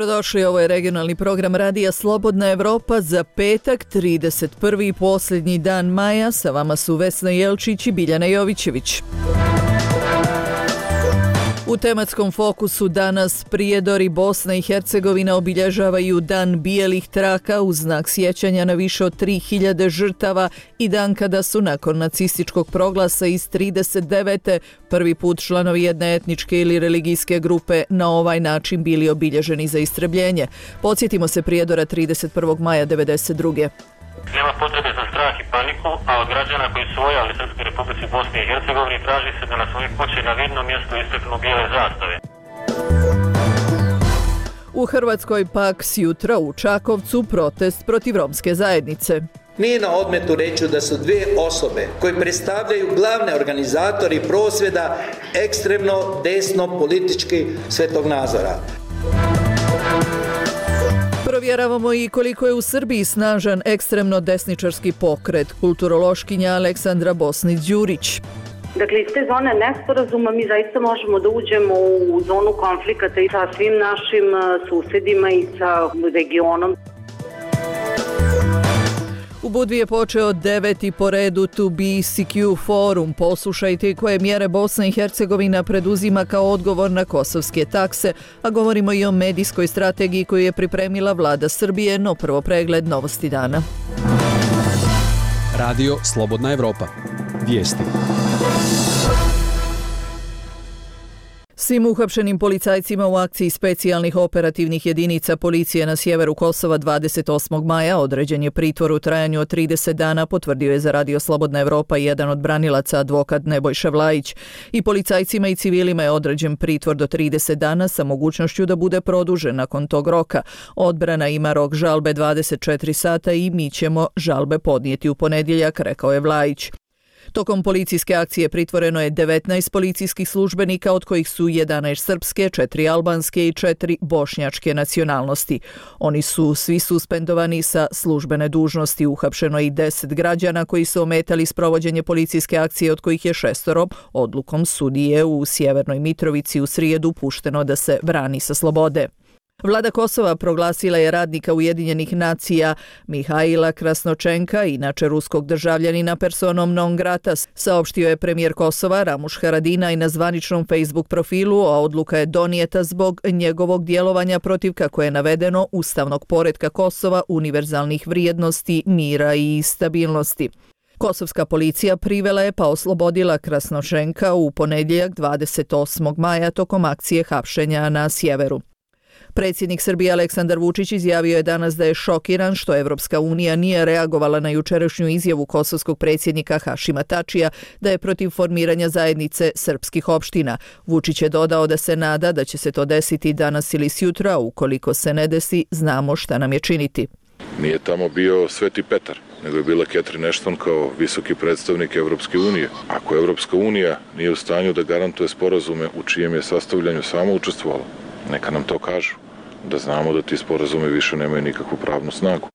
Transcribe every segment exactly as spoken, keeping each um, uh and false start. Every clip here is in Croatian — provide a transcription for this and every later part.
Dobrodošli, ovo je regionalni program Radija Slobodna Evropa za petak, trideset prvi i posljednji dan maja. Sa vama su Vesna Jelčić i Biljana Jovićević. U tematskom fokusu danas Prijedor i Bosna i Hercegovina obilježavaju Dan bijelih traka u znak sjećanja na više od tri hiljade žrtava i dan kada su nakon nacističkog proglasa iz trideset devete prvi put članovi jedne etničke ili religijske grupe na ovaj način bili obilježeni za istrebljenje. Podsjetimo se Prijedora trideset prvog maja devedeset druge. Nema potrebe za strah i paniku, a od građana koji su vojali Srpskoj Republici Bosni i Hercegovini traži se da na svoje kuće na vidnom mjestu istaknu bijele zastave. U Hrvatskoj pak sjutra u Čakovcu protest protiv romske zajednice. Nije na odmetu reći da su dvije osobe koje predstavljaju glavne organizatori prosvjeda ekstremno desno politički svetonazora. Provjeravamo i koliko je u Srbiji snažan ekstremno desničarski pokret. Kulturološkinja Aleksandra Bosnić-Đurić. Dakle, iz te zone nesporazuma mi zaista možemo da uđemo u zonu konflikata i sa svim našim susedima i sa regionom. U Budvi je počeo deveti po redu To B C Q forum. Poslušajte koje mjere Bosna i Hercegovina preduzima kao odgovor na kosovske takse, a govorimo i o medijskoj strategiji koju je pripremila vlada Srbije, no prvo pregled novosti dana. Radio Slobodna Evropa. Vijesti. Svim uhapšenim policajcima u akciji specijalnih operativnih jedinica policije na sjeveru Kosova dvadeset osmog maja određen je pritvor u trajanju od trideset dana, potvrdio je za Radio Slobodna Evropa jedan od branilaca, advokat Nebojša Vlajić. I policajcima i civilima je određen pritvor do trideset dana sa mogućnošću da bude produžen nakon tog roka. Odbrana ima rok žalbe dvadeset četiri sata i mi ćemo žalbe podnijeti u ponedjeljak, rekao je Vlajić. Tokom policijske akcije pritvoreno je devetnaest policijskih službenika, od kojih su jedanaest srpske, četiri albanske i četiri bošnjačke nacionalnosti. Oni su svi suspendovani sa službene dužnosti. Uhapšeno je i deset građana koji su ometali sprovođenje policijske akcije, od kojih je šestoro odlukom sudije u Sjevernoj Mitrovici u srijedu pušteno da se brani sa slobode. Vlada Kosova proglasila je radnika Ujedinjenih nacija Mihajla Krasnočenka, inače ruskog državljanina, personom non grata, saopštio je premijer Kosova Ramuš Haradinaj na zvaničnom Facebook profilu, a odluka je donijeta zbog njegovog djelovanja protiv, kako je navedeno, ustavnog poretka Kosova, univerzalnih vrijednosti, mira i stabilnosti. Kosovska policija privela je pa oslobodila Krasnočenka u ponedjeljak dvadeset osmog maja tokom akcije hapšenja na sjeveru. Predsjednik Srbije Aleksandar Vučić izjavio je danas da je šokiran što Evropska unija nije reagovala na jučerašnju izjavu kosovskog predsjednika Hašima Tačija da je protiv formiranja zajednice srpskih opština. Vučić je dodao da se nada da će se to desiti danas ili sjutra, ukoliko se ne desi, znamo šta nam je činiti. Nije tamo bio Sveti Petar, nego je bila Catherine Ashton kao visoki predstavnik Evropske unije. Ako Evropska unija nije u stanju da garantuje sporazume u čijem je sastavljanju samo učestvovala, neka nam to kažu, da znamo da ti sporazumi više nemaju nikakvu pravnu snagu.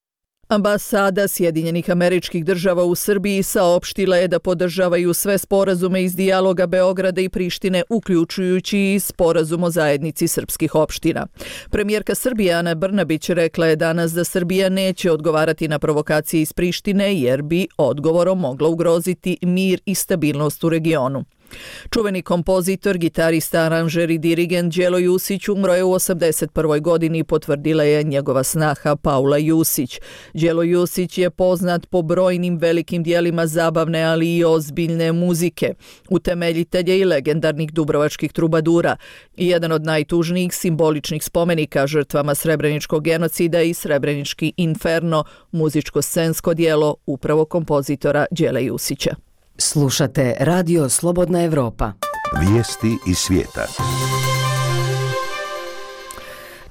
Ambasada Sjedinjenih Američkih Država u Srbiji saopštila je da podržavaju sve sporazume iz dijaloga Beograda i Prištine, uključujući i sporazum o zajednici srpskih opština. Premijerka Srbije Ana Brnabić rekla je danas da Srbija neće odgovarati na provokacije iz Prištine, jer bi odgovorom mogla ugroziti mir i stabilnost u regionu. Čuveni kompozitor, gitarista, aranžer i dirigent Đelo Jusić umro je u osamdeset prvoj godini, potvrdila je njegova snaha Paula Jusić. Đelo Jusić je poznat po brojnim velikim dijelima zabavne, ali i ozbiljne muzike. Utemeljitelj je i legendarnih dubrovačkih trubadura. Jedan od najtužnijih simboličnih spomenika žrtvama srebreničkog genocida i Srebrenički inferno, muzičko-scensko dijelo upravo kompozitora Đele Jusića. Slušate Radio Slobodna Evropa. Vijesti iz svijeta.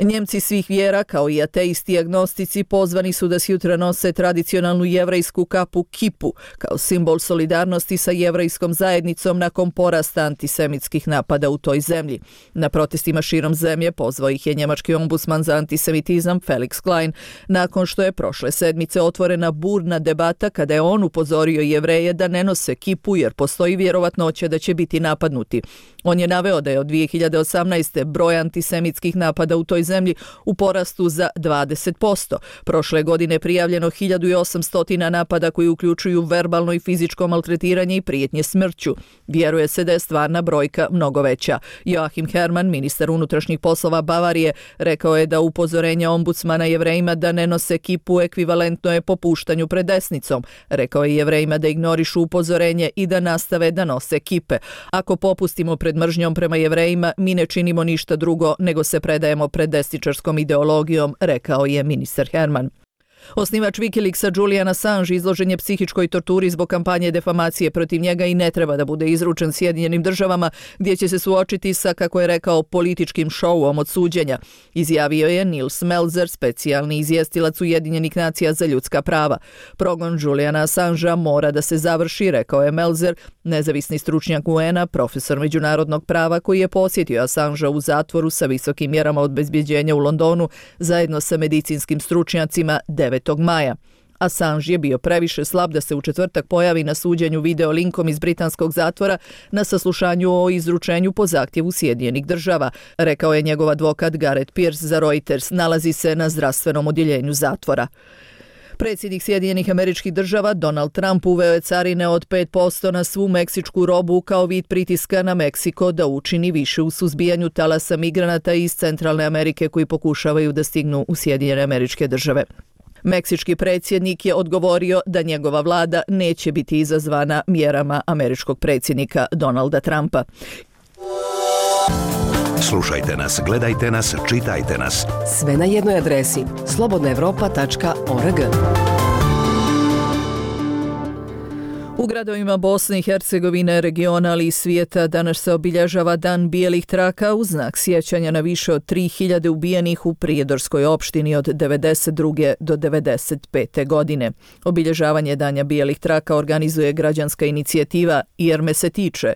Njemci svih vjera, kao i ateisti i agnostici, pozvani su da sjutra nose tradicionalnu jevrejsku kapu kipu, kao simbol solidarnosti sa jevrejskom zajednicom nakon porasta antisemitskih napada u toj zemlji. Na protestima širom zemlje pozvao ih je njemački ombudsman za antisemitizam Felix Klein, nakon što je prošle sedmice otvorena burna debata kada je on upozorio Jevreje da ne nose kipu jer postoji vjerovatnoća da će biti napadnuti. On je naveo da je od dvije hiljade osamnaeste broj antisemitskih napada u toj zemlji u porastu za dvadeset posto. Prošle godine je prijavljeno hiljadu osamsto napada koji uključuju verbalno i fizičko maltretiranje i prijetnje smrću. Vjeruje se da je stvarna brojka mnogo veća. Joachim Herrmann, ministar unutrašnjih poslova Bavarije, rekao je da upozorenje ombudsmana Jevrejima da ne nose kipu ekvivalentno je popuštanju pred desnicom. Rekao je Jevrejima da ignorišu upozorenje i da nastave da nose kipe. Ako popustimo pred mržnjom prema Jevrejima, mi ne činimo ništa drugo nego se predajemo pred desničarskom ideologijom, rekao je ministar Herrmann. Osnivač Wikileaksa Julian Assange izložen je psihičkoj torturi zbog kampanje defamacije protiv njega i ne treba da bude izručen Sjedinjenim državama, gdje će se suočiti sa, kako je rekao, političkim šouom od suđenja, izjavio je Nils Melzer, specijalni izvjestilac Ujedinjenih nacija za ljudska prava. Progon Juliana Assangea mora da se završi, rekao je Melzer, nezavisni stručnjak U N-a, profesor međunarodnog prava koji je posjetio Assangea u zatvoru sa visokim mjerama obezbjeđenja u Londonu zajedno sa medicinskim stručnjacima devetog maja. Assange je bio previše slab da se u četvrtak pojavi na suđenju video linkom iz britanskog zatvora na saslušanju o izručenju po zahtjevu Sjedinjenih država, rekao je njegov advokat Gareth Pierce za Reuters, nalazi se na zdravstvenom odjeljenju zatvora. Predsjednik Sjedinjenih Američkih Država Donald Trump uveo je carine od pet posto na svu meksičku robu kao vid pritiska na Meksiko da učini više u suzbijanju talasa migranata iz Centralne Amerike koji pokušavaju da stignu u Sjedinjene Američke Države. Meksički predsjednik je odgovorio da njegova vlada neće biti izazvana mjerama američkog predsjednika Donalda Trumpa. Slušajte nas, gledajte nas, čitajte nas. Sve na jednoj adresi slobodna evropa tačka org. U gradovima Bosne i Hercegovine, regiona, ali i svijeta danas se obilježava Dan bijelih traka u znak sjećanja na više od tri hiljade ubijenih u Prijedorskoj opštini od devedeset druge do devedeset pete godine. Obilježavanje Dana bijelih traka organizuje građanska inicijativa Jer me se tiče,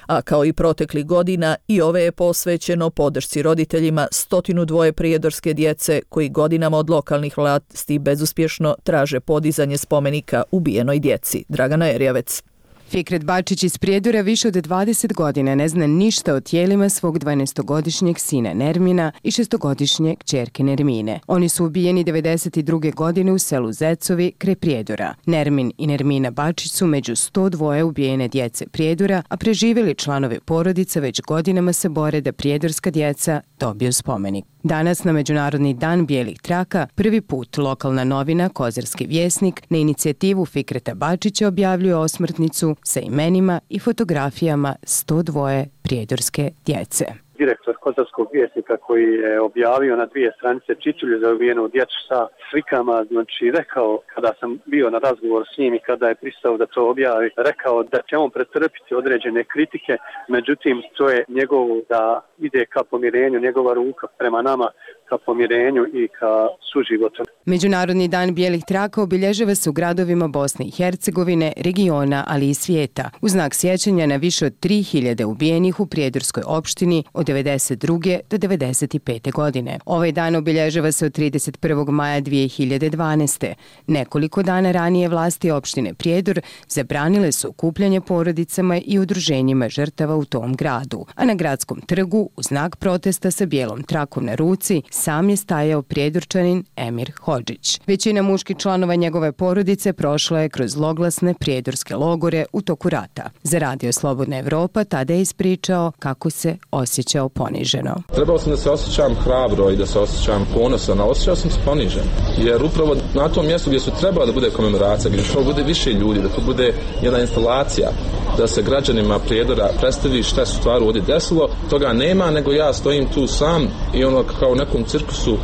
a kao i proteklih godina i ove je posvećeno podršci roditeljima stotinu dvoje prijedorske djece koji godinama od lokalnih vlasti bezuspješno traže podizanje spomenika ubijenoj djeci. Dragana Erjavec. Fikret Bačić iz Prijedora više od dvadeset godina ne zna ništa o tijelima svog dvanaestogodišnjeg sina Nermina i šestogodišnje kćerke Nermine. Oni su ubijeni devedeset druge godine u selu Zecovi kraj Prijedora. Nermin i Nermina Bačić su među sto dva ubijene djece Prijedora, a preživjeli članovi porodica već godinama se bore da prijedorska djeca dobiju spomenik. Danas na Međunarodni dan bijelih traka prvi put lokalna novina Kozarski vjesnik na inicijativu Fikreta Bačića objavljuje osmrtnicu sa imenima i fotografijama sto dva prijedorske djece. Direktor Kozarskog vjesnika koji je objavio na dvije stranice čičulju za ubijenu djecu sa slikama, znači rekao, kada sam bio na razgovoru s njim i kada je pristao da to objavi, rekao da će on pretrpiti određene kritike, međutim to je njegovo da ide ka pomirenju, njegova ruka prema nama ka pomirenju i ka suživotu. Međunarodni dan bijelih traka obilježava se u gradovima Bosne i Hercegovine, regiona, ali i svijeta, u znak sjećanja na više od tri hiljade ubijenih u Prijedorskoj opštini od devedeset druge do devedeset pete godine. Ovaj dan obilježava se od trideset prvog maja dvije hiljade dvanaeste. Nekoliko dana ranije vlasti opštine Prijedor zabranile su okupljanje porodicama i udruženjima žrtava u tom gradu, a na gradskom trgu u znak protesta sa bijelom trakom na ruci sam je stajao Prijedorčanin Emir Hodžić. Većina muških članova njegove porodice prošla je kroz zloglasne prijedorske logore u toku rata. Za Radio Slobodna Evropa tada je ispričao kako se osjećao poniženo. Trebao sam da se osjećam hrabro i da se osjećam ponosan, a osjećao sam se ponižen. Jer upravo na tom mjestu gdje su trebala da bude komemoracija, gdje trebalo bude više ljudi, da to bude jedna instalacija, da se građanima Prijedora predstavi šta se stvaru ovdje desilo, toga nema, nego ja stojim tu sam i ono kao u nekom cirkusu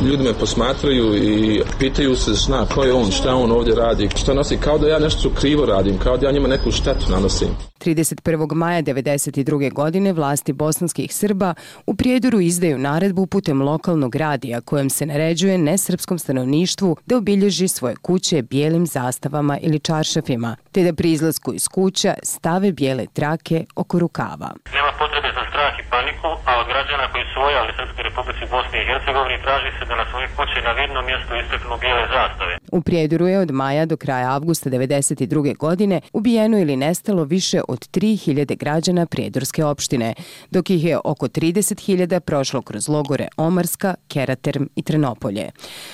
ljudi me posmatraju i pitaju se zna ko je on, šta on ovdje radi, šta nosi, kao da ja nešto krivo radim, kao da ja njima neku štetu nanosim. trideset prvog maja devedeset druge godine vlasti bosanskih Srba u Prijedoru izdaju naredbu putem lokalnog radija kojem se naređuje nesrpskom stanovništvu da obilježi svoje kuće bijelim zastavama ili čaršafima, te da pri izlasku iz kuća stave bijele trake oko rukava. Nema potrebe za strah i paniku, a od građana koji su vojali Srpskoj Republici Bosne i Hercegovini traži se da na svoje kuće na vidnom mjestu istaknu bijele zastave. U Prijedoru je od maja do kraja avgusta devedeset druge godine ubijeno ili nestalo više od od tri hiljade građana prijedorske opštine, dok ih je oko trideset hiljada prošlo kroz logore Omarska, Keraterm i Trenopolje.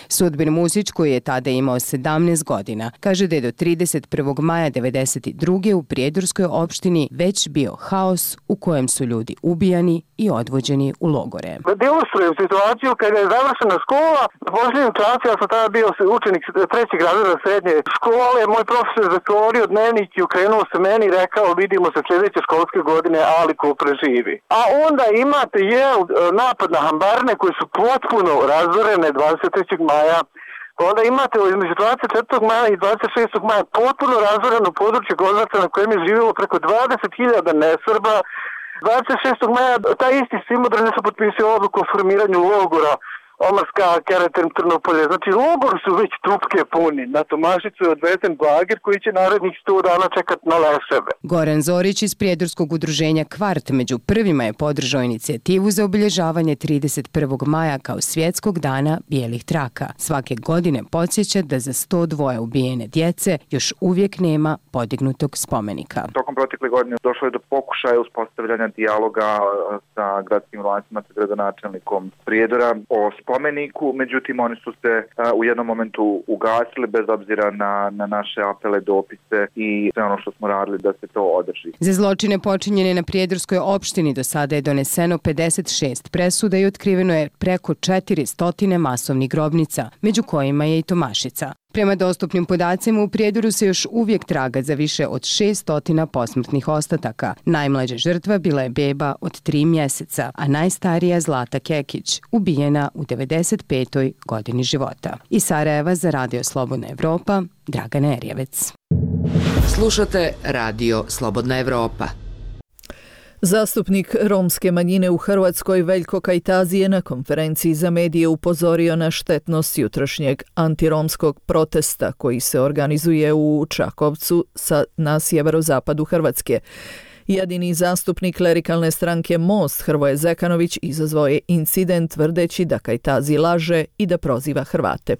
Sudbin Musić, koji je tada imao sedamnaest godina, kaže da je do trideset prvog maja devedeset druge u prijedorskoj opštini već bio haos u kojem su ljudi ubijani i odvođeni u logore. Da ilustrujem situaciju kada je završena škola, na posljednjem času, ja sam tada bio učenik trećeg razreda srednje škole, moj profesor zatvorio dnevnik i okrenuo se meni i rekao vidimo se sljedeće školske godine, ali ko preživi. A onda imate jel, napad na Hambarne koji su potpuno razorene dvadeset trećeg maja. Onda imate između dvadeset četvrtog maja i dvadeset šestog maja potpuno razoreno područje Gozaca na kojem je živjelo preko dvadeset hiljada nesrba. dvadeset šestog maja taj isti Simodrene su potpisali odluku o formiranju logora Omarska, Keraterm, Trnopolje. Znači, logor su već trupke puni. Na Tomašicu je odvezen bager koji će narednih sto dana čekati na leševe. Goran Zorić iz prijedorskog udruženja Kvart među prvima je podržao inicijativu za obilježavanje trideset prvog maja kao svjetskog dana bijelih traka. Svake godine podsjeća da za sto dva ubijene djece još uvijek nema podignutog spomenika. Tokom protekle godine došlo je do pokušaja uspostavljanja dijaloga sa gradskim vlastima, sa gradonačelnikom Prijedora o spomeniku, međutim oni su se uh, u jednom momentu ugasili bez obzira na, na naše apele, dopise i sve ono što smo radili da se to održi. Za zločine počinjene na prijedorskoj opštini do sada je doneseno pedeset šest presuda i otkriveno je preko četiristo masovnih grobnica, među kojima je i Tomašica. Prema dostupnim podacima u Prijedoru se još uvijek traga za više od šesto posmrtnih ostataka. Najmlađa žrtva bila je beba od tri mjeseca, a najstarija Zlata Kekić, ubijena u devedeset petoj godini života. Iz Sarajeva za Radio Slobodna Evropa, Dragana Erjevec. Slušate Radio Slobodna Evropa. Zastupnik romske manjine u Hrvatskoj Veljko Kajtazi je na konferenciji za medije upozorio na štetnost jutrošnjeg antiromskog protesta koji se organizuje u Čakovcu na sjeverozapadu Hrvatske. Jedini zastupnik klerikalne stranke Most Hrvoje Zekanović izazvao je incident tvrdeći da Kajtazi laže i da proziva Hrvate.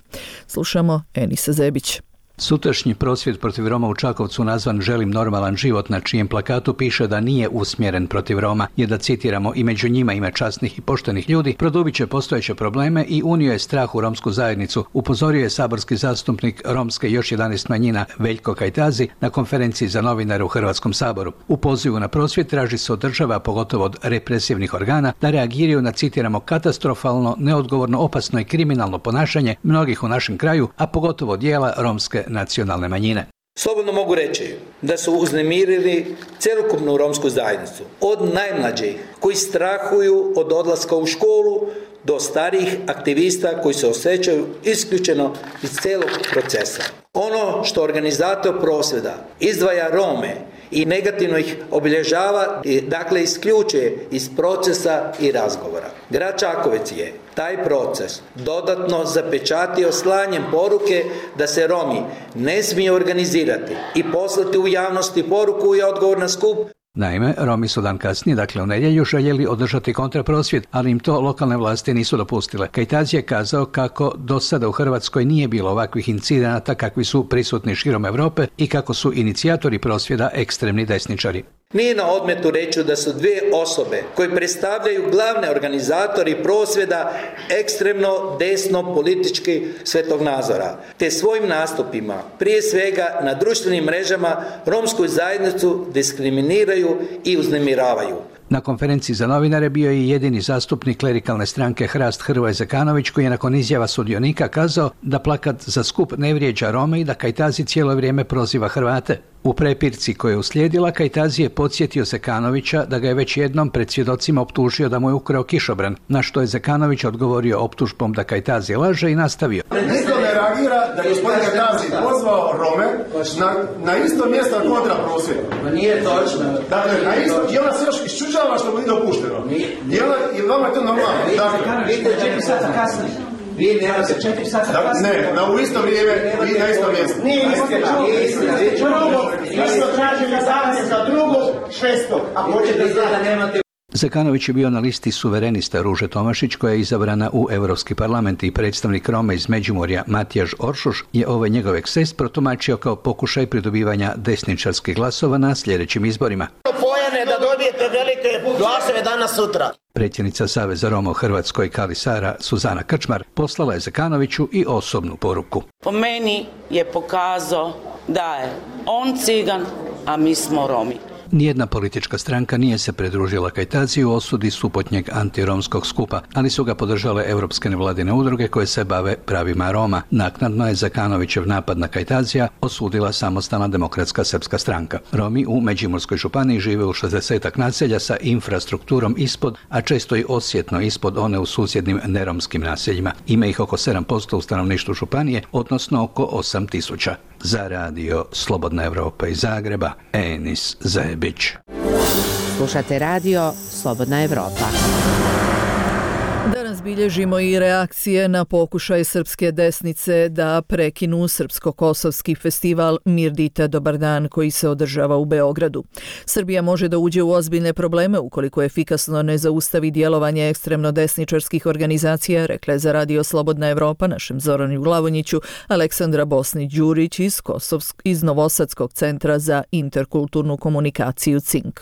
Slušamo Enisa Zebić. Sutrašnji prosvjed protiv Roma u Čakovcu nazvan Želim normalan život, na čijem plakatu piše da nije usmjeren protiv Roma, je da citiramo i među njima ima časnih i poštenih ljudi, produbit će postojeće probleme i unio je strah u romsku zajednicu, upozorio je saborski zastupnik romske i još jedanaest manjina Veljko Kajtazi na konferenciji za novinare u Hrvatskom saboru. U pozivu na prosvjed traži se od država, pogotovo od represivnih organa, da reagiraju na, citiramo, katastrofalno, neodgovorno, opasno i kriminalno ponašanje mnogih u našem kraju, a pogotovo dijela romske nacionalne manjine. Slobodno mogu reći da su uznemirili cjelokupnu romsku zajednicu. Od najmlađih koji strahuju od odlaska u školu do starijih aktivista koji se osjećaju isključeno iz cijelog procesa. Ono što organizator prosvjeda izdvaja Rome i negativno ih obilježava, dakle isključuje iz procesa i razgovora. Grad Čakovec je taj proces dodatno zapečatio slanjem poruke da se Romi ne smiju organizirati i poslati u javnosti poruku i odgovor na skup. Naime, Romi su dan kasnije, dakle u nedjelju, željeli održati kontraprosvjed, ali im to lokalne vlasti nisu dopustile. Kajtazi je kazao kako do sada u Hrvatskoj nije bilo ovakvih incidenata kakvi su prisutni širom Europe i kako su inicijatori prosvjeda ekstremni desničari. Nije na odmetu reći da su dvije osobe koje predstavljaju glavne organizatori prosvjeda ekstremno desno politički svjetonazora, te svojim nastupima, prije svega na društvenim mrežama, romsku zajednicu diskriminiraju i uznemiravaju. Na konferenciji za novinare bio je i jedini zastupnik klerikalne stranke Hrast Hrvoje Zekanović, koji je nakon izjava sudionika kazao da plakat za skup ne vrijeđa Rome i da Kajtazi cijelo vrijeme proziva Hrvate. U prepirci koja je uslijedila, Kajtazi je podsjetio Zekanovića da ga je već jednom pred svjedocima optužio da mu je ukrao kišobran, na što je Zekanović odgovorio optužbom da Kajtazi laže i nastavio. Niko ne reagira da je gospodin Kajtazi pozvao Rome na, na isto mjesto kontra prosvjeda. Nije točno. Dakle, na isto, i ona se još iščuđava što mu nije dopušteno. I ona, i vama je to normalno. Dakle, vidite četiri sata kasnije. Vi nemate četiri sata kasnije. Ne, na u isto vrijeme, vi na isto mjesto. Nije istina. Drugo, isto tražim da danas za drugo šesto. A hoćete da nemate Zekanović je bio na listi suverenista Ruže Tomašić koja je izabrana u Europski parlament i predstavnik Roma iz Međimurja Matijaž Oršuš je ovaj njegov eksces protumačio kao pokušaj pridobivanja desničarskih glasova na sljedećim izborima. Pojene da dobijete velike glasove danas sutra. Predsjednica Saveza Roma u Hrvatskoj Kali Sara Suzana Krčmar poslala je Zekanoviću i osobnu poruku. Po meni je pokazao da je on cigan, a mi smo Romi. Nijedna politička stranka nije se pridružila Kajtaziji u osudi supotnjeg antiromskog skupa, ali su ga podržale europske nevladine udruge koje se bave pravima Roma. Naknadno je Zekanovićev napad na Kajtazija osudila Samostalna demokratska srpska stranka. Romi u Međimurskoj županiji žive u šezdesetak naselja sa infrastrukturom ispod, a često i osjetno ispod one u susjednim neromskim naseljima. Ima ih oko sedam posto u stanovništvu županije, odnosno oko osam tisuća. Za radio Slobodna Evropa iz Zagreba, Enis Zebić. Slušate radio Slobodna Evropa. Danas bilježimo i reakcije na pokušaj srpske desnice da prekinu srpsko-kosovski festival Mirdita Dobar dan koji se održava u Beogradu. Srbija može da uđe u ozbiljne probleme ukoliko efikasno ne zaustavi djelovanje ekstremno desničarskih organizacija, rekla je za radio Slobodna Evropa našem Zoranu Glavonjiću Aleksandra Bosnić-Đurić iz, Kosovsk, iz Novosadskog centra za interkulturnu komunikaciju C I N K.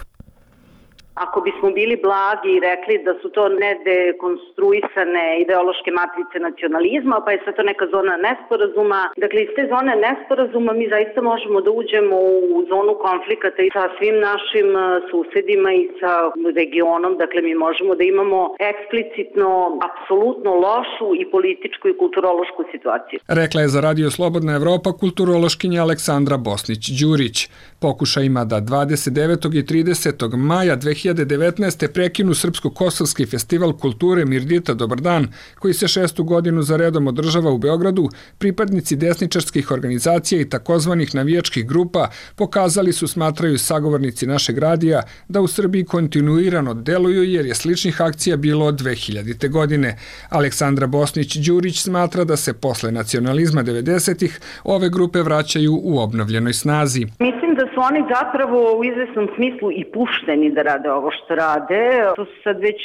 Ako bismo bili blagi i rekli da su to nedekonstruisane ideološke matrice nacionalizma, pa je sve to neka zona nesporazuma. Dakle, iz te zone nesporazuma mi zaista možemo da uđemo u zonu konflikata i sa svim našim susedima i sa regionom. Dakle, mi možemo da imamo eksplicitno, apsolutno lošu i političku i kulturološku situaciju. Rekla je za radio Slobodna Evropa kulturološkinja Aleksandra Bosnić-Đurić. Pokušajima da dvadeset devetog i tridesetog maja dve hiljade devetnaeste prekinu Srpsko-kosovski festival kulture Mirdita Dobar dan, koji se šestu godinu za redom održava u Beogradu, pripadnici desničarskih organizacija i takozvanih navijačkih grupa pokazali su, smatraju sagovornici našeg radija, da u Srbiji kontinuirano deluju jer je sličnih akcija bilo od dve hiljadite. godine. Aleksandra Bosnić-Đurić smatra da se posle nacionalizma devedesetih ove grupe vraćaju u obnovljenoj snazi. Mislim da su oni zapravo u izvesnom smislu i pušteni da rade ovo što rade. To su sad već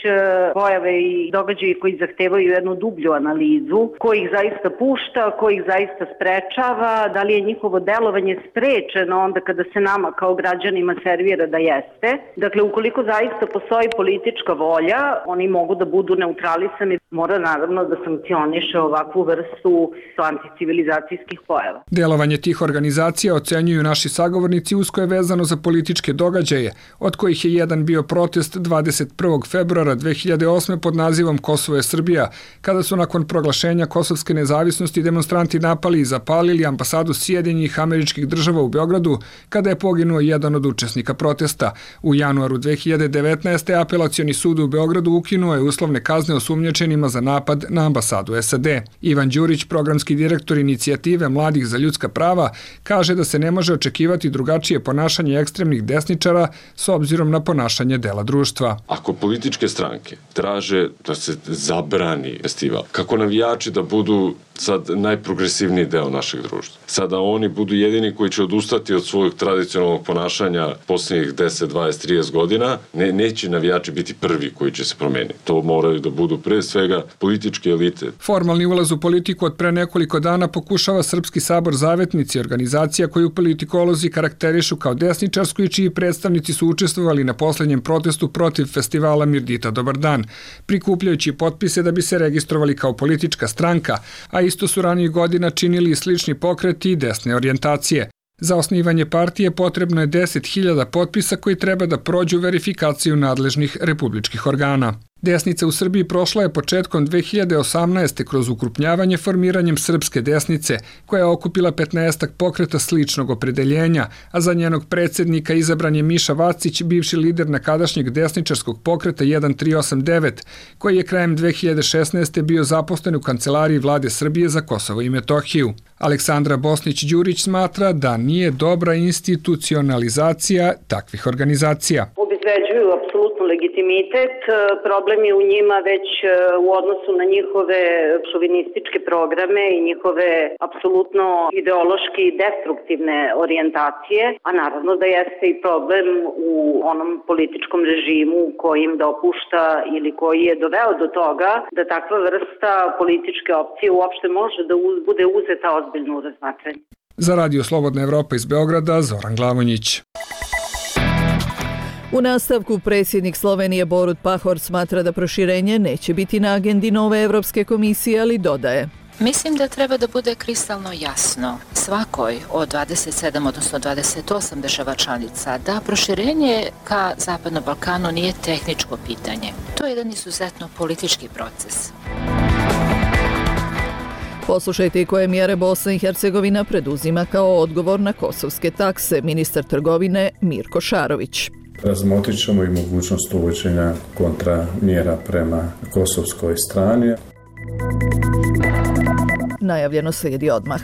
pojave i događaji koji zahtevaju jednu dublju analizu, ko ih zaista pušta, ko ih zaista sprečava, da li je njihovo delovanje sprečeno onda kada se nama kao građanima servira da jeste. Dakle, ukoliko zaista postoji politička volja, oni mogu da budu neutralisani. Mora naravno da sankcioniše ovakvu vrstu anticivilizacijskih pojava. Delovanje tih organizacija ocenjuju naši sagovornici usko je vezano za političke događaje, od kojih je jedan bio protest dvadeset prvog februara dve hiljade osme pod nazivom Kosovo je Srbija, kada su nakon proglašenja kosovske nezavisnosti demonstranti napali i zapalili ambasadu Sjedinjenih Američkih Država u Beogradu, kada je poginuo jedan od učesnika protesta. U januaru dve hiljade devetnaeste. Apelacioni sud u Beogradu ukinuo je uslovne kazne osumnjičenima za napad na ambasadu S A D. Ivan Đurić, programski direktor inicijative Mladih za ljudska prava, kaže da se ne može očekivati drugačije ponašanje ekstremnih desničara s obzirom na ponašanje dela društva. Ako političke stranke traže da se zabrani festival, kako navijači da budu sad najprogresivniji deo našeg društva, sada oni budu jedini koji će odustati od svojeg tradicionalnog ponašanja posljednjih deset, dvadeset, trideset godina, ne, neće navijači biti prvi koji će se promeniti. To moraju da budu pre svega političke elite. Formalni ulaz u politiku od pre nekoliko dana pokušava Srpski sabor Zavetnici, organizacija koju politikolozi karakterišu kao desničarsku i čiji predstavnici su učestvovali na posljednjem protestu protiv festivala Mirdita Dobar dan, prikupljajući potpise da bi se registrovali kao politička stranka, a isto su ranijih godina činili i slični pokreti i desne orijentacije. Za osnivanje partije potrebno je deset hiljada potpisa koji treba da prođu verifikaciju nadležnih republičkih organa. Desnica u Srbiji prošla je početkom dve hiljade osamnaeste. kroz ukrupnjavanje formiranjem Srpske desnice, koja je okupila petnaestak pokreta sličnog opredeljenja, a za njenog predsjednika izabran je Miša Vacić, bivši lider nekadašnjeg desničarskog pokreta jedan tri osam devet, koji je krajem dve hiljade šesnaeste. bio zaposlen u kancelariji vlade Srbije za Kosovo i Metohiju. Aleksandra Bosnić-Đurić smatra da nije dobra institucionalizacija takvih organizacija. U obezbeđuju apsolutno legitimitet. Problem je u njima već u odnosu na njihove šovinističke programe i njihove apsolutno ideološki destruktivne orijentacije, a naravno da jeste i problem u onom političkom režimu koji im dopušta ili koji je doveo do toga da takva vrsta političke opcije uopšte može da bude uzeta ozbiljno u razmatranje. Za Radio Slobodna Evropa iz Beograda, Zoran Glavonjić. U nastavku predsjednik Slovenije Borut Pahor smatra da proširenje neće biti na agendi nove Evropske komisije, ali dodaje: Mislim da treba da bude kristalno jasno svakoj od dvadeset sedam, odnosno dvadeset osam država članica da proširenje ka Zapadnom Balkanu nije tehničko pitanje. To je jedan izuzetno politički proces. Poslušajte i koje mjere Bosna i Hercegovina preduzima kao odgovor na kosovske takse, ministar trgovine Mirko Šarović. Razmotrit ćemo i mogućnost uvođenja kontramjera prema kosovskoj strani. Najavljeno slijedi odmah.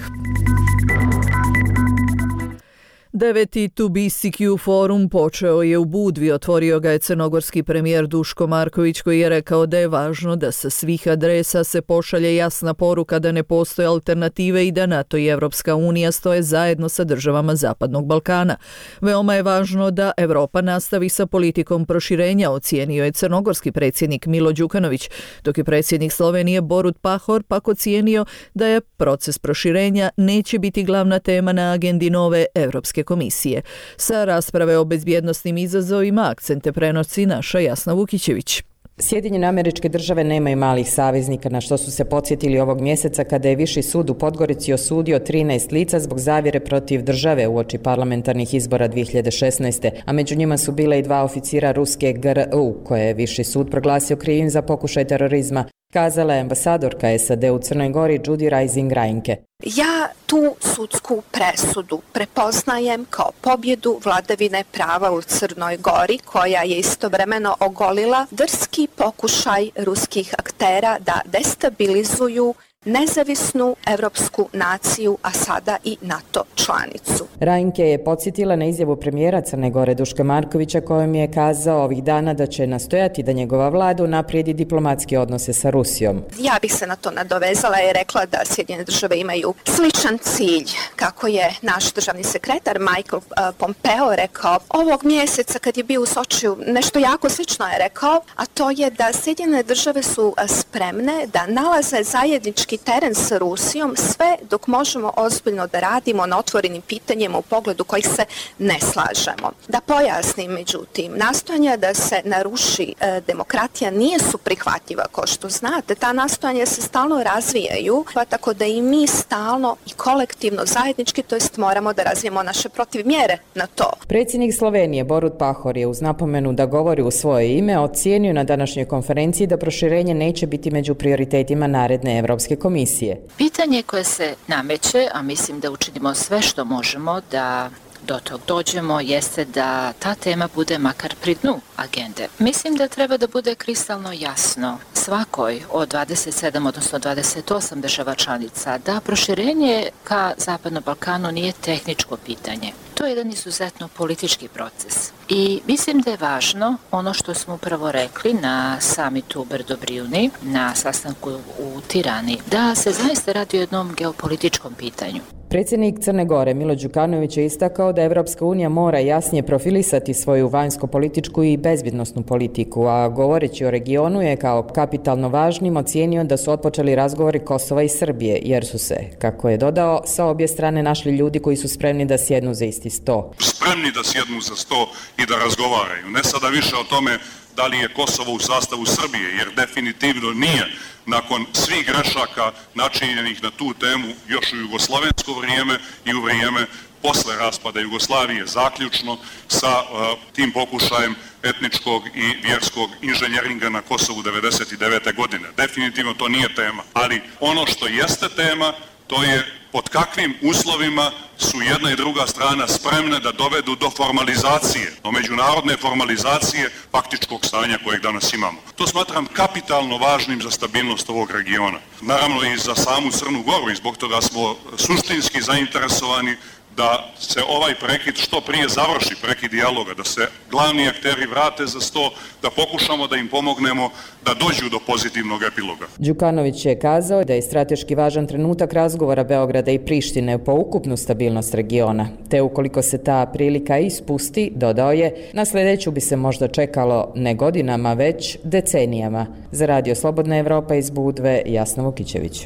Deveti To Be C Q forum počeo je u Budvi, otvorio ga je crnogorski premijer Duško Marković koji je rekao da je važno da sa svih adresa se pošalje jasna poruka da ne postoje alternative i da NATO i Evropska unija stoje zajedno sa državama Zapadnog Balkana. Veoma je važno da Evropa nastavi sa politikom proširenja, ocijenio je crnogorski predsjednik Milo Đukanović, dok je predsjednik Slovenije Borut Pahor pak ocijenio da je proces proširenja neće biti glavna tema na agendi nove Evropske komisije. Sa rasprave o bezbjednosnim izazovima akcente prenosi naša Jasna Vukićević. Sjedinjene Američke Države nemaju malih saveznika, na što su se podsjetili ovog mjeseca kada je Viši sud u Podgorici osudio trinaest lica zbog zavjere protiv države uoči parlamentarnih izbora dvije hiljade šesnaeste. A među njima su bile i dva oficira ruske G R U, koje je Viši sud proglasio krivim za pokušaj terorizma, kazala je ambasadorka S A D u Crnoj Gori Judy Rising Reinke. Ja tu sudsku presudu prepoznajem kao pobjedu vladavine prava u Crnoj Gori, koja je istovremeno ogolila drski pokušaj ruskih aktera da destabilizuju nezavisnu evropsku naciju, a sada i NATO članicu. Reinke je podsjetila na izjavu premijera Crne Gore Duška Markovića kojom je kazao ovih dana da će nastojati da njegova vlada unaprijedi diplomatske odnose sa Rusijom. Ja bih se na to nadovezala i rekla da Sjedinjene države imaju sličan cilj, kako je naš državni sekretar Michael Pompeo rekao ovog mjeseca kad je bio u Sočiju. Nešto jako slično je rekao, a to je da Sjedinjene države su spremne da nalaze zajednički teren sa Rusijom sve dok možemo ozbiljno da radimo na otvorenim pitanjima u pogledu kojih se ne slažemo. Da pojasnim, međutim, nastojanja da se naruši e, demokratija nije su prihvatljiva, kao što znate. Ta nastojanja se stalno razvijaju, pa tako da i mi stalno i kolektivno zajednički, to jest moramo da razvijemo naše protivmjere na to. Predsjednik Slovenije Borut Pahor je uz napomenu da govori u svoje ime ocijenio na današnjoj konferenciji da proširenje neće biti među prioritetima naredne Evropske komisije. Pitanje koje se nameće, a mislim da učinimo sve što možemo da do tog dođemo, jeste da ta tema bude makar pri dnu agende. Mislim da treba da bude kristalno jasno svakoj od dvadeset sedam, odnosno dvadeset osam država članica da proširenje ka Zapadnom Balkanu nije tehničko pitanje. To je jedan izuzetno politički proces. I mislim da je važno ono što smo upravo rekli na samitu u Brdo-Brijuni, na sastanku u Tirani, da se zaista radi o jednom geopolitičkom pitanju. Predsjednik Crne Gore Milo Đukanović je istakao da Evropska unija mora jasnije profilisati svoju vanjsko-političku i bezbjednosnu politiku, a govoreći o regionu je kao kapitalno važnim ocijenio da su otpočeli razgovori Kosova i Srbije, jer su se, kako je dodao, sa obje strane našli ljudi koji su spremni da sjednu za isti sto. Spremni da sjednu za sto i da razgovaraju. Ne sada više o tome da li je Kosovo u sastavu Srbije, jer definitivno nije, nakon svih grešaka načinjenih na tu temu još u jugoslovensko vrijeme i u vrijeme posle raspada Jugoslavije, zaključno sa uh, tim pokušajem etničkog i vjerskog inženjeringa na Kosovu devedeset devete. godine. Definitivno to nije tema, ali ono što jeste tema, to je pod kakvim uslovima su jedna i druga strana spremne da dovedu do formalizacije, do međunarodne formalizacije faktičkog stanja kojeg danas imamo. To smatram kapitalno važnim za stabilnost ovog regiona. Naravno i za samu Crnu Goru i zbog toga smo suštinski zainteresovani da se ovaj prekid što prije završi, prekid dijaloga, da se glavni akteri vrate za sto, da pokušamo da im pomognemo da dođu do pozitivnog epiloga. Đukanović je kazao da je strateški važan trenutak razgovora Beograda i Prištine po ukupnu stabilnost regiona, te ukoliko se ta prilika ispusti, dodao je, na sljedeću bi se možda čekalo ne godinama, već decenijama. Za Radio Slobodna Evropa iz Budve, Jasna Vukićević.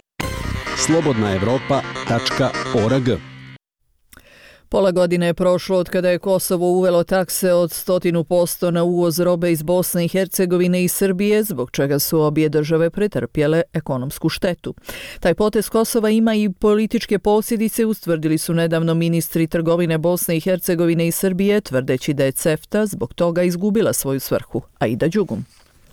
slobodna evropa tačka org. Pola godine je prošlo od kada je Kosovo uvelo takse od stotinu posto na uvoz robe iz Bosne i Hercegovine i Srbije, zbog čega su obje države pretrpjele ekonomsku štetu. Taj potez Kosova ima i političke posljedice, ustvrdili su nedavno ministri trgovine Bosne i Hercegovine i Srbije, tvrdeći da je CEFTA zbog toga izgubila svoju svrhu. Aida Đugum.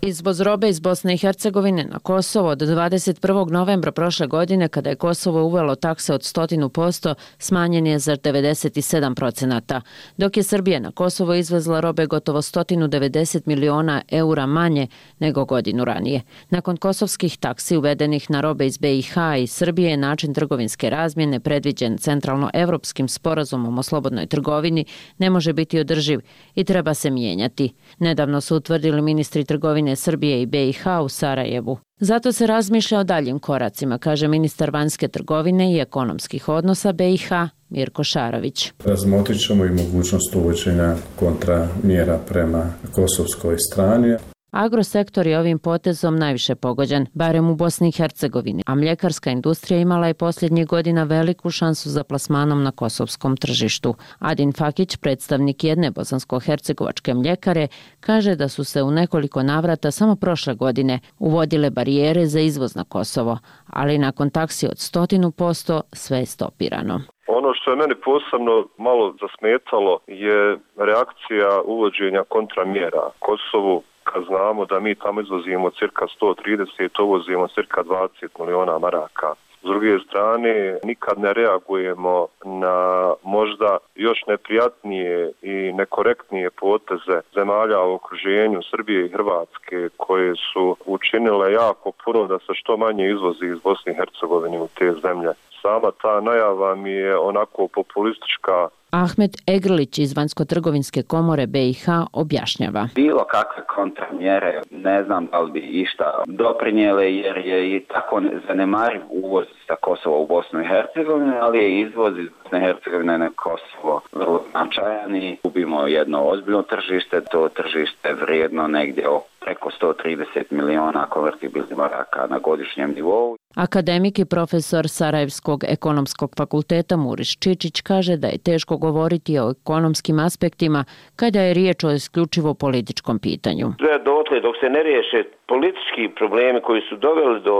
Izvoz robe iz Bosne i Hercegovine na Kosovo od dvadeset prvog novembra prošle godine, kada je Kosovo uvelo takse od stotinu posto, smanjen je za devedeset sedam procenata, dok je Srbija na Kosovo izvezla robe gotovo sto devedeset miliona eura manje nego godinu ranije. Nakon kosovskih taksi uvedenih na robe iz B i H i Srbije, način trgovinske razmjene predviđen centralno-evropskim sporazumom o slobodnoj trgovini ne može biti održiv i treba se mijenjati. Nedavno su utvrdili ministri trgovine Srbije i B i H u Sarajevu. Zato se razmišlja o daljim koracima, kaže ministar vanjske trgovine i ekonomskih odnosa B i H Mirko Šarović. Razmotrit ćemo i mogućnost uvođenja kontramjera prema kosovskoj strani. Agrosektor je ovim potezom najviše pogođen, barem u Bosni i Hercegovini, a mljekarska industrija imala je posljednjih godina veliku šansu za plasmanom na kosovskom tržištu. Adin Fakić, predstavnik jedne bosansko-hercegovačke mljekare, kaže da su se u nekoliko navrata samo prošle godine uvodile barijere za izvoz na Kosovo, ali nakon taksi od stotinu posto sve je stopirano. Ono što je meni posebno malo zasmetalo je reakcija uvođenja kontramjera Kosovu, kad znamo da mi tamo izvozimo cirka sto trideset, uvozimo cirka dvadeset miliona maraka. S druge strane, nikad ne reagujemo na možda još neprijatnije i nekorektnije poteze zemalja u okruženju Srbije i Hrvatske, koje su učinile jako puno da se što manje izvozi iz Bosne i Hercegovine u te zemlje. Sama ta najava mi je onako populistička. Ahmet Egrlić iz Vanjsko-trgovinske komore B i H objašnjava. Bilo kakve kontramjere, ne znam da li bi išta doprinijele, jer je i tako zanemariv uvoz sa Kosova u Bosnu i Hercegovinu, ali je izvoz iz Bosne i Hercegovine na Kosovo vrlo značajan i gubimo jedno ozbiljno tržište. To tržište je vrijedno negdje preko sto trideset miliona konvertibilnih maraka na godišnjem nivou. Akademik i profesor Sarajevskog ekonomskog fakulteta Muriš Čičić kaže da je teško govoriti o ekonomskim aspektima kada je riječ o isključivo političkom pitanju. Dotle dok se ne riješe politički problemi koji su doveli do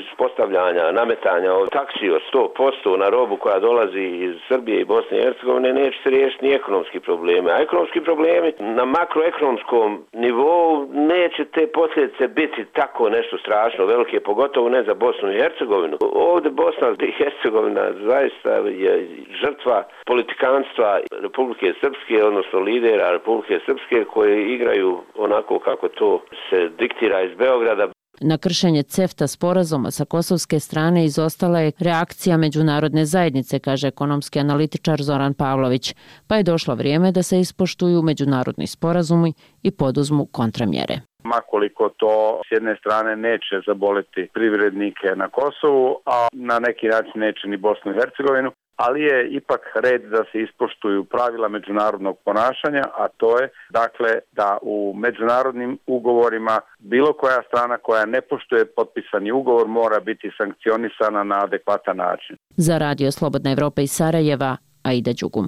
ispostavljanja, nametanja od taksi od sto posto na robu koja dolazi iz Srbije i Bosne i Hercegovine, neće se riješiti ni ekonomski problemi. A ekonomski problemi na makroekonomskom nivou neće te posljedice biti tako nešto strašno velike, pogotovo ne za Bosnu i Hercegovinu. Ovdje Bosna i Hercegovina zaista je žrtva politikanstva Republike Srpske, odnosno lidera Republike Srpske, koje igraju onako kako to se diktira iz Beograda. Na kršenje CEFTA sporazuma sa kosovske strane izostala je reakcija međunarodne zajednice, kaže ekonomski analitičar Zoran Pavlović, pa je došlo vrijeme da se ispoštuju međunarodni sporazumi i poduzmu kontramjere. Makoliko to s jedne strane neće zaboleti privrednike na Kosovu, a na neki način neće ni Bosnu i Hercegovinu, ali je ipak red da se ispoštuju pravila međunarodnog ponašanja, a to je dakle da u međunarodnim ugovorima bilo koja strana koja ne poštuje potpisani ugovor mora biti sankcionisana na adekvatan način. Za Radio Slobodna Evropa iz Sarajeva, Aida Đugum.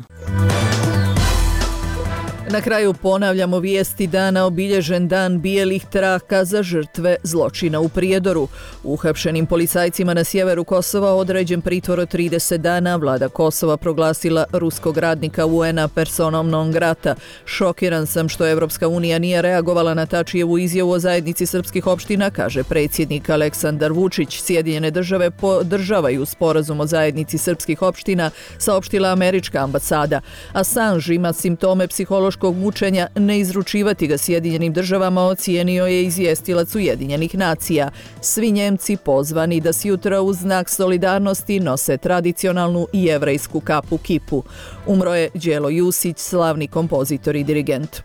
Na kraju ponavljamo vijesti dana, obilježen dan bijelih traka za žrtve zločina u Prijedoru. Uhapšenim policajcima na sjeveru Kosova određen pritvor od trideset dana, vlada Kosova proglasila ruskog radnika U N-a personom non grata. Šokiran sam što Evropska unija nije reagovala na Tačijevu izjavu o zajednici srpskih opština, kaže predsjednik Aleksandar Vučić. Sjedinjene države podržavaju sporazum o zajednici srpskih opština, saopštila američka ambasada. Assange ima simptome psihološkog ljudskog mučenja, ne izručivati ga Sjedinjenim državama, ocijenio je izvjestilac Ujedinjenih nacija. Svi Njemci pozvani da sjutra u znak solidarnosti nose tradicionalnu jevrejsku kapu kipu. Umro je Đelo Jusić, slavni kompozitor i dirigent.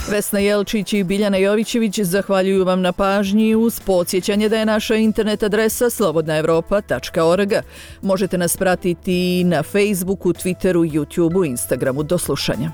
Vesna Jelčić i Biljana Jovićević zahvaljuju vam na pažnji uz podsjećanje da je naša internet adresa slobodna evropa tačka org. Možete nas pratiti na Facebooku, Twitteru, YouTubeu, Instagramu. Do slušanja.